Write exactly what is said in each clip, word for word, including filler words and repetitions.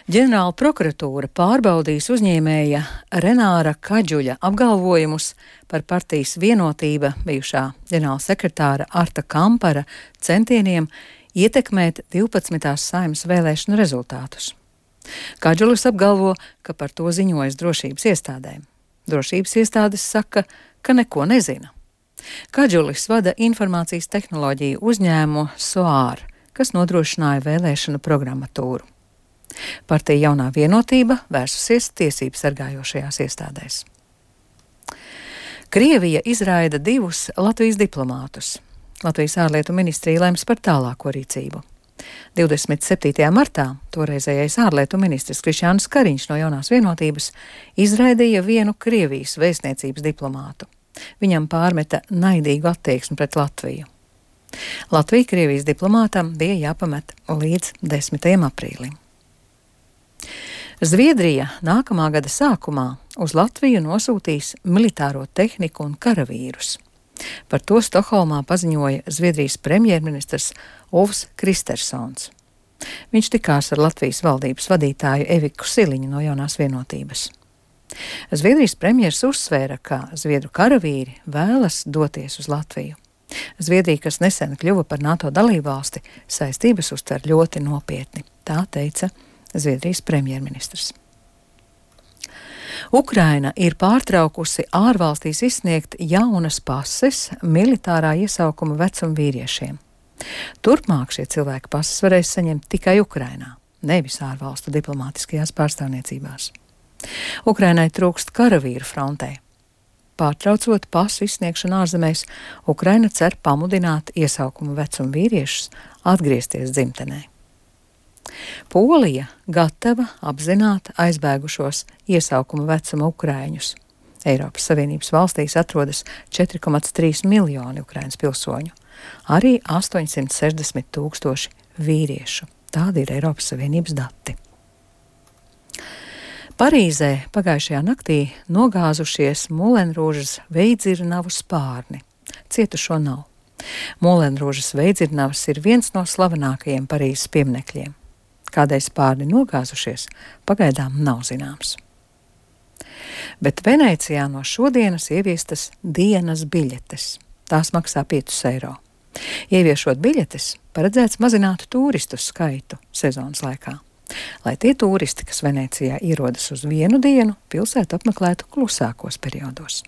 Ģenerāla prokuratūra pārbaudīs uzņēmēja Renāra Kadžuļa apgalvojumus par partijas Vienotība bijušā ģenerāla sekretāra Arta Kampara centieniem ietekmēt divpadsmitās Saeimas vēlēšanu rezultātus. Kadžulis apgalvo, ka par to ziņojas drošības iestādēm. Drošības iestādes saka, ka neko nezina. Kadžulis vada informācijas tehnoloģiju uzņēmumu Soar, kas nodrošināja vēlēšanu programmatūru. Partija Jaunā Vienotība vērsusies tiesību sargājošajās iestādēs. Krievija izraida divus Latvijas diplomātus. Latvijas ārlietu ministrija lems par tālāko rīcību. divdesmit septītajā martā toreizējais ārlietu ministrs Krišjānis Kariņš no Jaunās Vienotības izraidīja vienu Krievijas vēstniecības diplomātu. Viņam pārmeta naidīgu attieksmi pret Latviju. Latvija Krievijas diplomātam bija jāpamet līdz desmitajam aprīlim. Zviedrija nākamā gada sākumā uz Latviju nosūtīs militāro tehniku un karavīrus. Par to Stokholmā paziņoja Zviedrijas premjerministrs Ulfs Kristersons. Viņš tikās ar Latvijas valdības vadītāju Eviku Siliņu no Jaunās Vienotības. Zviedrijas premjers uzsvēra, ka zviedru karavīri vēlas doties uz Latviju. Zviedrija, kas nesen kļuva par NATO dalībvalsti, saistības uztver ļoti nopietni, tā teica Zviedrijas premjerministrs. Ukraina ir pārtraukusi ārvalstīs izsniegt jaunas pases militārā iesaukuma vecuma vīriešiem. Turpmāk šie cilvēki pases varēs saņemt tikai Ukrainā, nevis ārvalstu diplomātiskajās pārstāvniecībās. Ukrainai trūkst karavīru frontē. Pārtraucot pasu izsniegšanu ārzemēs, Ukraina cer pamudināt iesaukuma vecuma vīriešus atgriezties dzimtenē. Polija gatava apzināt aizbēgušos iesaukuma vecuma ukraiņus. Eiropas Savienības valstīs atrodas četri komats trīs miljoni Ukrainas pilsoņu, arī astoņsimt sešdesmit tūkstoši vīriešu. Tādi ir Eiropas Savienības dati. Parīzē pagājušajā naktī nogāzušies Mulenrūžas veidzirnavu spārni. Cietušo nav. Mulenrūžas veidzirnavas ir viens no slavenākajiem Parīzes pieminekļiem. Kādēļ spārni nogāzušies, pagaidām nav zināms. Bet Venecijā no šodienas ieviestas dienas biļetes. Tās maksā piecus eiro. Ieviešot biļetes, paredzēts mazināt turistu skaitu sezonas laikā, lai tie turisti, kas Venecijā ierodas uz vienu dienu, pilsētu apmeklētu klusākos periodos.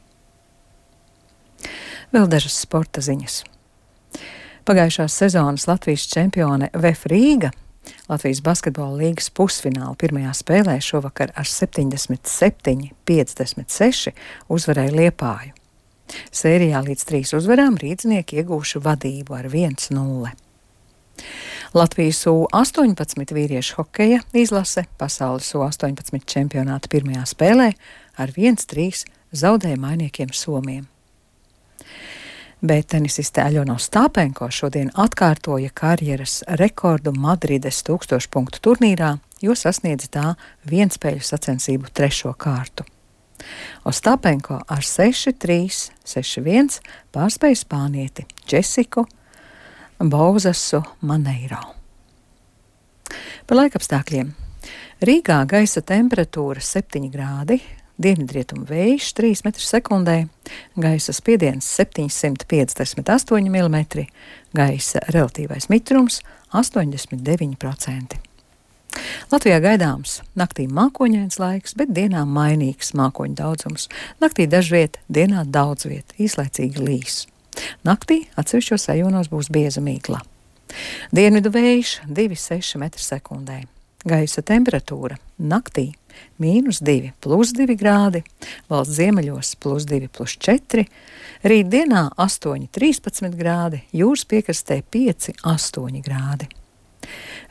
Vēl dažas sporta ziņas. Pagājušās sezonas Latvijas čempione V F Rīga Latvijas basketbola līgas pusfināla pirmajā spēlē šovakar ar septiņdesmit septiņi piecdesmit seši uzvarēja Liepāju. Sērijā līdz trīs uzvarām rīdznieki iegūši vadību ar viens nulle. Latvijas U astoņpadsmit vīriešu hokeja izlase pasaules U astoņpadsmit čempionāta pirmajā spēlē ar viens trīs zaudēja mainiekiem Somiem. Bet tenisiste Aļona Ostāpenko šodien atkārtoja karjeras rekordu Madrides tūkstošu punktu turnīrā, jo sasniedza tā vienspēļu sacensību trešo kārtu. Ostāpenko ar seši trīs, seši viens pārspēja spānieti Džesiku Bauzasu Maneiro. Par laikapstākļiem. Rīgā gaisa temperatūra septiņi grādi, dienvidrietumu vējš trīs metri sekundē, gaisa spiediens septiņsimt piecdesmit astoņi milimetri, gaisa relatīvais mitrums astoņdesmit deviņi procenti. Latvijā gaidāms naktī mākoņains laiks, bet dienā mainīgs mākoņu daudzums. Naktī dažviet, dienā daudzviet, īslaicīgi līs. Naktī atsevišķos rajonos būs bieza mīkla. Dienvidu vējš divi seši metri sekundē. Gaisa temperatūra naktī mīnus divi plus divi grādi, valsts ziemeļos plus divi plus četri, rīt dienā astoņi trīspadsmit grādi, jūras piekrastē pieci astoņi grādi.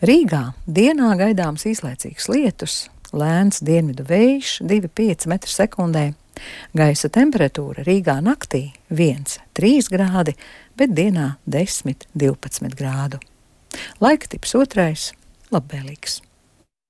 Rīgā dienā gaidāms īslaicīgs lietus, lēns dienvidu vējš divi pieci metri sekundē, gaisa temperatūra Rīgā naktī viens trīs grādi, bet dienā desmit divpadsmit grādu. Laika tips otrais - labvēlīgs.